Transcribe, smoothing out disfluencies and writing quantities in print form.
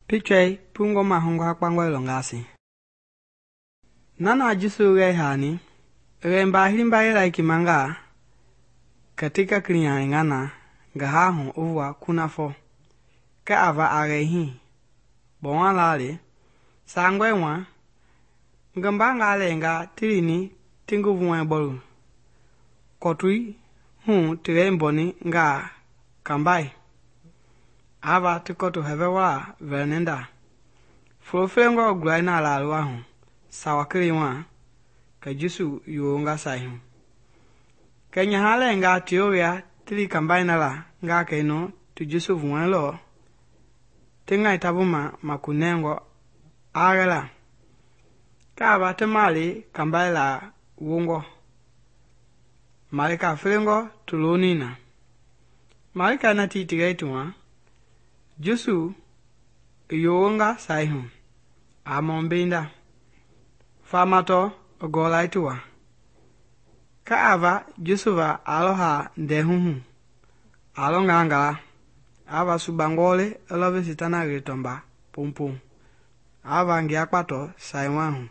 Pichɔi pungɔ mahungɔ kpangɔi lɔngasi. Nana Jesu gɛi hani, rɛmba hilimba yɛla kimangaa, katika kilinyani ngana, gahahu uvua kunafɔ, kɛ ava a gɛi hii, bɔwa lali, sangɔi wa, ngi mbangaa lɛnga ti lini ti ngi vuɛ bɔlu, kɔtui hu ti lɛimbɔni ngaa kambai, ava ti kɔtu hɛvɛ wala vɛlɛnɛnda, folo felengɔ gulai na laluwa hu, sawa kelen wa, kɛ Jesu yowonga sai hu. Kɛ nyaha lɛnga tiolia ti li kambai na la ngaa kɛinu ti Jesu vuɛlɔ, ti ŋai tabuma makunɛngɔ a gɛla, kɛ ava ti male kambai la wongɔ, malika felengɔ ti loni na. Malika na tii ti gɛi ti wa, Jesu i yowonga sai hu, a mɔmbenda, famatɔ i gɔlai ti wa, kɛ ava Jesu va a lɔ haa ndɛhu hu, a lɔ ngangala, ava sugbangɔ le i lɔ vi Sitana wi tɔmba poŋpoŋ, ava ngia kpatɔ sai wa hu.